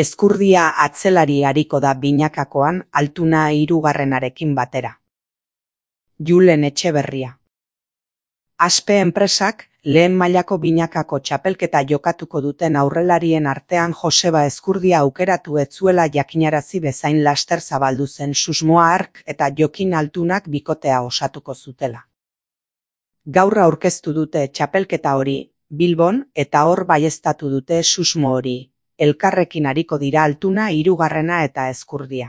Ezkurdia atzelari ariko da binakakoan Altuna hirugarrenarekin batera. Julen Etxeberria. Aspe enpresak lehen mailako binakako txapelketa jokatuko duten aurrelarien artean Joseba Ezkurdia aukeratu ez zuela jakinarazi bezain laster zabaldu zen susmoa hark eta Jokin Altunak bikotea osatuko zutela. Gaur aurkeztu dute txapelketa hori Bilbon eta hor baieztatu dute susmo hori. Elkarrekin ariko dira Altuna hirugarrena eta Ezkurdia.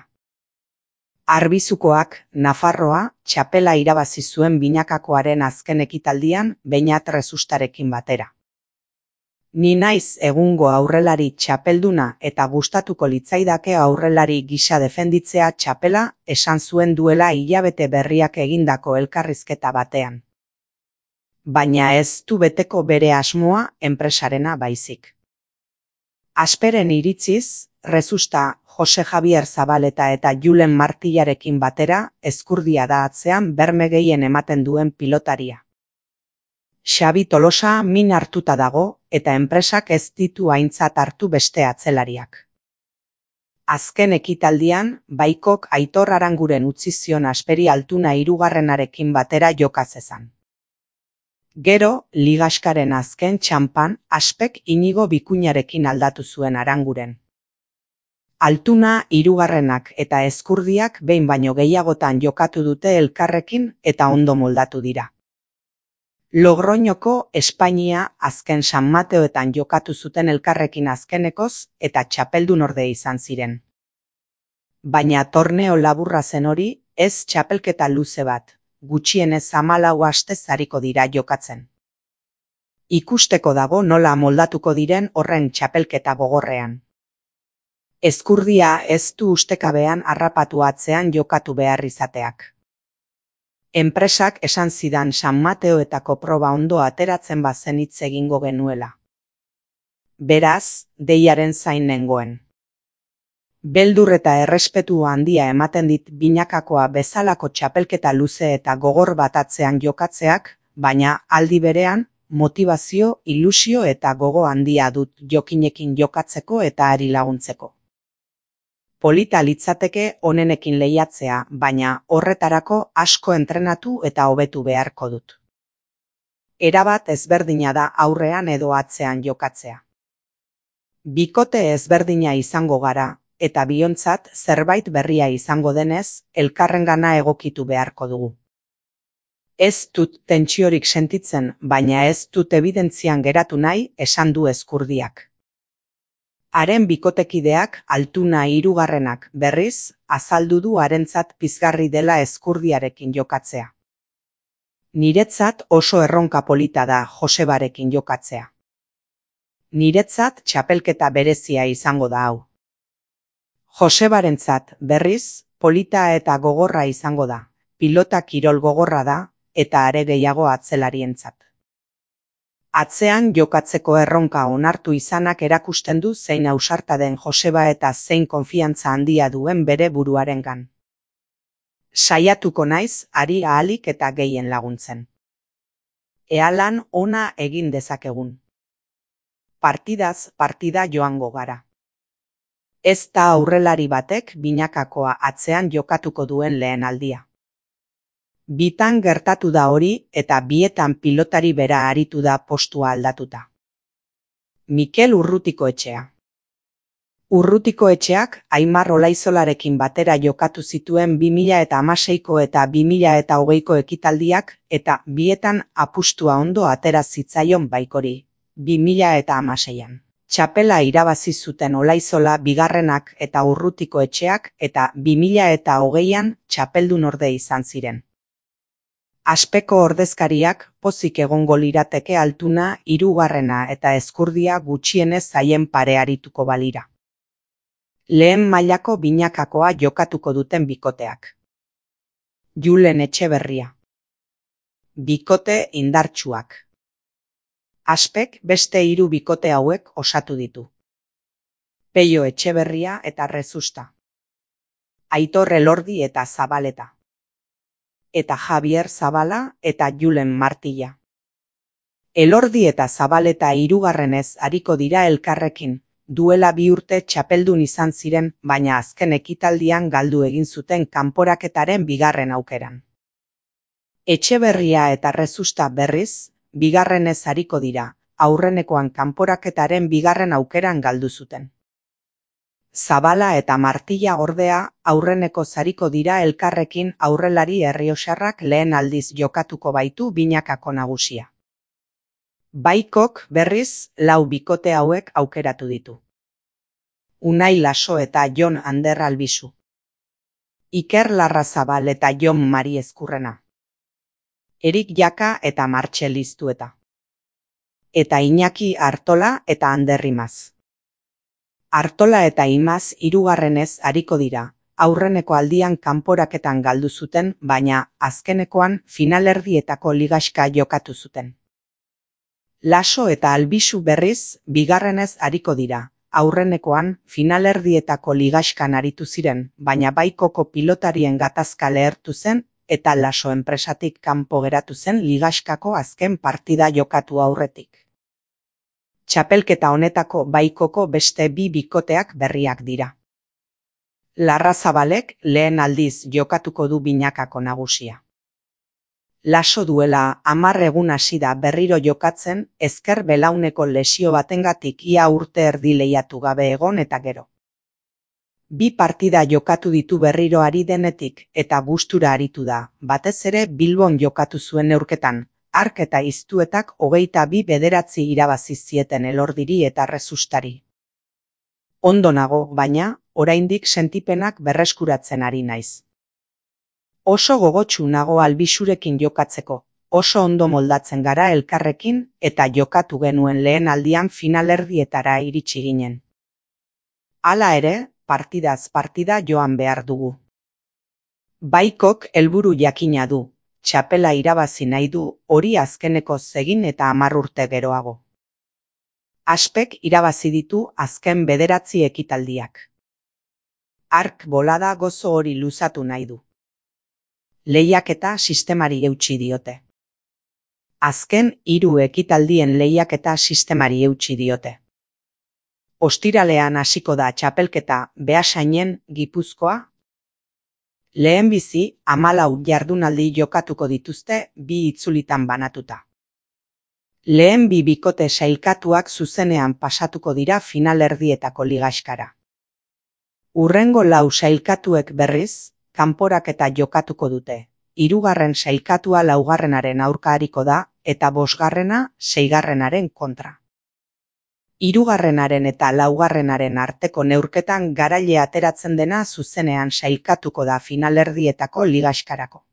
Arbizukoak, Nafarroa, txapela irabazi zuen binakakoaren azken ekitaldian Beñat Resustarekin batera. Ni naiz egungo aurrelari txapelduna eta gustatuko litzaidake aurrelari gisa defenditzea txapela, esan zuen duela hilabete berriak egindako elkarrizketa batean. Baina ez du beteko bere asmoa enpresarena baizik. Asperen iritziz, Resusta, Jose Javier Zabaleta eta Julen Martillarekin batera Ezkurdia da atzean berme gehien ematen duen pilotaria. Xabi Tolosa min hartuta dago eta enpresak ez ditu aintzat hartu beste atzelariak. Azken ekitaldian, Baikok Aitor Aranguren utzi zion Asperi Altuna hirugarrenarekin batera joka zezan. Gero, ligaskaren azken txanpan, Aspek Inigo Bikuñarekin aldatu zuen Aranguren. Altuna hirugarrenak eta Ezkurdiak behin baino gehiagotan jokatu dute elkarrekin eta ondo moldatu dira. Logroñoko Espainia azken San Mateoetan jokatu zuten elkarrekin azkenekoz eta txapeldun orde izan ziren. Baina torneo laburra zen hori, ez txapelketa luze bat. Gutxienez 14 astez ariko dira jokatzen. Ikusteko dago nola moldatuko diren horren txapelketa gogorrean. Ezkurdia ez du ustekabean harrapatu atzean jokatu behar izateak. Enpresak esan zidan San Mateoetako proba ondo ateratzen bazen hitz egingo genuela. Beraz, deiaren zain nengoen. Beldur eta errespetu handia ematen dit binakakoa bezalako txapelketa luze eta gogor bat atzean jokatzeak, baina aldi berean, motivazio, ilusio eta gogo handia dut Jokinekin jokatzeko eta ari laguntzeko. Polita litzateke onenekin lehiatzea, baina horretarako asko entrenatu eta hobetu beharko dut. Erabat ezberdina da aurrean edo atzean jokatzea. Bikote ezberdina izango gara, eta biontzat zerbait berria izango denez, elkarrengana egokitu beharko dugu. Ez dut tentsiorik sentitzen, baina ez dut ebidentzian geratu nahi, esan du Ezkurdiak. Haren bikotekideak Altuna hirugarrenak berriz, azaldu du harentzat pizgarri dela Ezkurdiarekin jokatzea. Niretzat oso erronka polita da Josebarekin jokatzea. Niretzat txapelketa berezia izango da hau. Josebarentzat berriz, polita eta gogorra izango da, pilota kirol gogorra da, eta are gehiago atzelarientzat. Atzean jokatzeko erronka onartu izanak erakusten du zein ausarta den Joseba eta zein konfiantza handia duen bere buruarengan. Saiatuko naiz, ari ahalik eta gehien laguntzen. Ea lan ona egin dezakegun. Partidaz partida joango gara. Ez da aurrelari batek binakakoa atzean jokatuko duen lehen aldia. Bitan gertatu da hori eta bietan pilotari bera aritu da postua aldatuta. Mikel Urrutikoetxea. Urrutikoetxeak Aimar Olaizolarekin batera jokatu zituen 2016ko eta 2020ko ekitaldiak eta bietan apustua ondo atera zitzaion Baikori, 2016an. Txapela irabazi zuten Olaizola bigarrenak eta Urrutikoetxeak eta 2020an txapeldun orde izan ziren. Aspeko ordezkariak pozik egongo lirateke Altuna hirugarrena eta Ezkurdia gutxienez zaien pare arituko balira. Lehen mailako binakakoa jokatuko duten bikoteak. Julen Etxeberria. Bikote indartsuak. Aspek beste 3 bikote hauek osatu ditu. Peio Etxeberria eta Resusta. Aitor Elordi eta Zabaleta. Eta Javier Zabala eta Julen Martilla. Elordi eta Zabaleta hirugarrenez ariko dira elkarrekin, duela 2 urte txapeldun izan ziren, baina azken ekitaldian galdu egin zuten kanporaketaren bigarren aukeran. Etxeberria eta Rezusta berriz, bigarrenez ariko dira, aurrenekoan kanporaketaren bigarren aukeran galdu zuten. Zabala eta Martilla ordea aurreneko zariko dira elkarrekin aurrelari errioxarrak lehen aldiz jokatuko baitu binakako nagusia. Baikok berriz 4 bikote hauek aukeratu ditu. Unai Laso eta Jon Ander Albizu. Iker Larrazabal eta Jon Mari Ezkurrena. Erik Jaka eta Martxel Iztueta. Eta Iñaki Artola eta Ander Imaz. Artola eta Imaz hirugarrenez ariko dira, aurreneko aldian kanporaketan galdu zuten, baina azkenekoan finalerdietako ligaxka jokatu zuten. Laso eta Albizu berriz bigarrenez ariko dira, aurrenekoan finalerdietako ligaxkan aritu ziren, baina Baikoko pilotarien gatazka lehertu zen eta Laso enpresatik kanpo geratu zen ligaxkako azken partida jokatu aurretik. Txapelketa honetako Baikoko beste 2 bikoteak berriak dira. Larrazabalek lehen aldiz jokatuko du binakako nagusia. Laso duela 10 egun hasi da berriro jokatzen, ezker belauneko lesio batengatik ia urte erdi lehiatu gabe egon eta gero. 2 partida jokatu ditu berriro ari denetik eta gustura aritu da, batez ere Bilbon jokatu zuen neurketan, Ark eta Iztuetak 22-9 irabazi zieten Elordiri eta Rezustari. Ondo nago, baina, oraindik sentipenak berreskuratzen ari naiz. Oso gogotsu nago Albizurekin jokatzeko, oso ondo moldatzen gara elkarrekin eta jokatu genuen lehen aldian finalerdietara iritsi ginen. Hala ere, partidaz partida joan behar dugu. Baikok helburu jakina du, txapela irabazi nahi du, hori azkeneko egin eta 10 urte geroago. Aspek irabazi ditu azken 9 ekitaldiak. Ark bolada gozo hori luzatu nahi du. Lehiaketa sistemari eutsi diote. Azken 3 ekitaldien lehiaketa sistemari eutsi diote. Ostiralean hasiko da txapelketa Beasainen Gipuzkoa. Lehenbizi 14 jardunaldi jokatuko dituzte 2 itzulitan banatuta. Lehen 2 bikote sailkatuak zuzenean pasatuko dira finalerdietako ligaxkara. Hurrengo 4 sailkatuek berriz, kanporaketa jokatuko dute. 3. sailkatua 4. aurka ariko da eta 5. 6. kontra. 3. eta 4. arteko neurketan garaile ateratzen dena zuzenean sailkatuko da finalerdietako ligaxkarako.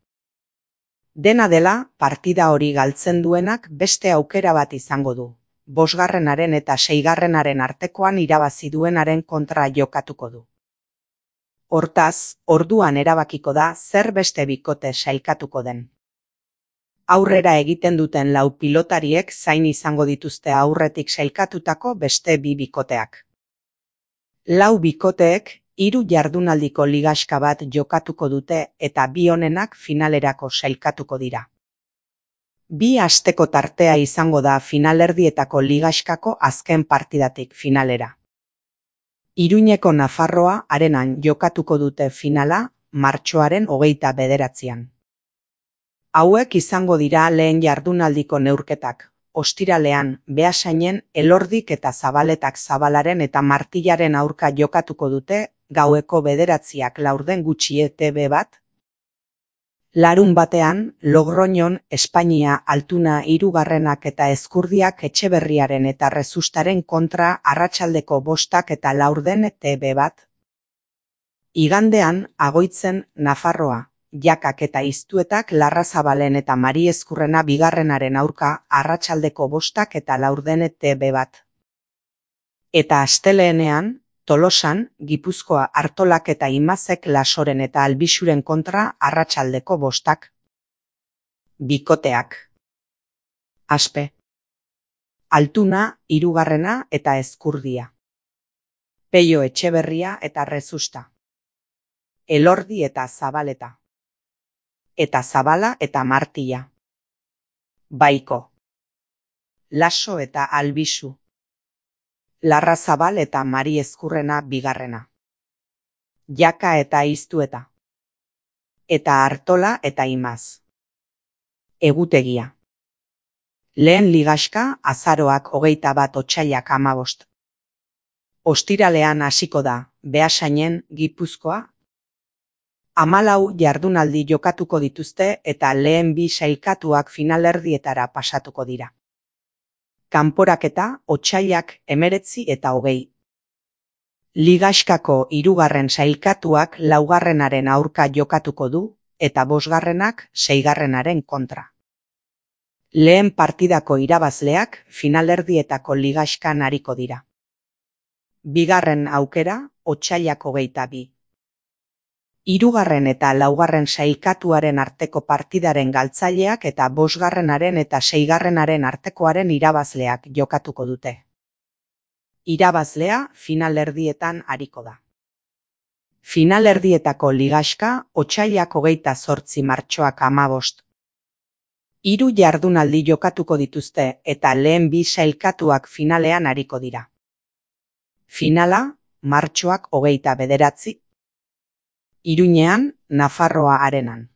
Dena dela, partida hori galtzen duenak beste aukera bat izango du. 5. eta 6. artekoan irabazi duenaren kontra jokatuko du. Hortaz, orduan erabakiko da zer beste bikote sailkatuko den. Aurrera egiten duten 4 pilotariek zain izango dituzte aurretik sailkatutako beste 2 bikoteak. 4 bikoteek 3 jardunaldiko ligaxka bat jokatuko dute eta 2 honenak finalerako sailkatuko dira. 2 asteko tartea izango da finalerdietako ligaxkako azken partidatik finalera. Iruñeko Nafarroa Arenan jokatuko dute finala martxoaren 29. Hauek izango dira lehen jardunaldiko neurketak. Ostiralean, Beasainen Elordik eta Zabaletak Zabalaren eta Martillaren aurka jokatuko dute, gaueko 9 laurden gutxi ETB bat. Larun batean, Logroñon, Espainia, Altuna 3. eta Ezkurdiak Etxeberriaren eta Rezustaren kontra arratsaldeko 5 eta laurden ETB bat. Igandean, Agoitzen, Nafarroa, Jakak eta Iztuetak Larrazabalen eta Mari Ezkurrena 2. aurka arratsaldeko 5 eta laurden ETB bat. Eta asteleenean, Tolosan, Gipuzkoa Artolak eta Imazek Lasoren eta Albizuren kontra arratsaldeko 5. Bikoteak. Aspe. Altuna 3. eta Ezkurdia. Peio Etxeberria eta Rezusta. Elordi eta Zabaleta. Eta Zabala eta Martilla. Baiko. Laso eta Albizu. Larrazabal eta Mari Ezkurrena bigarrena. Jaka eta Iztueta. Eta Artola eta Imaz. Egutegia. Lehen ligaxka azaroak 21 otsailak 15. Ostiralean hasiko da, Beasainen, Gipuzkoa. 14 jardunaldi jokatuko dituzte eta lehen bi sailkatuak finalerdietara pasatuko dira. Kanporaketa otsailak 19 eta 20. Ligaxkako 3. sailkatuak 4. aurka jokatuko du eta 5. 6. kontra. Lehen partidako irabazleak finalerdietako ligaxkan ariko dira. Bigarren aukera otsailak 22. 3. eta 4. sailkatuaren arteko partidaren galtzaileak eta 5. eta 6. artekoaren irabazleak jokatuko dute. Irabazlea finalerdietan ariko da. Finalerdietako ligaxka otsailak 28 martxoak 15. 3 jardunaldi jokatuko dituzte eta lehen bi sailkatuak finalean ariko dira. Finala martxoak 29. Iruñean, Nafarroa Arenan.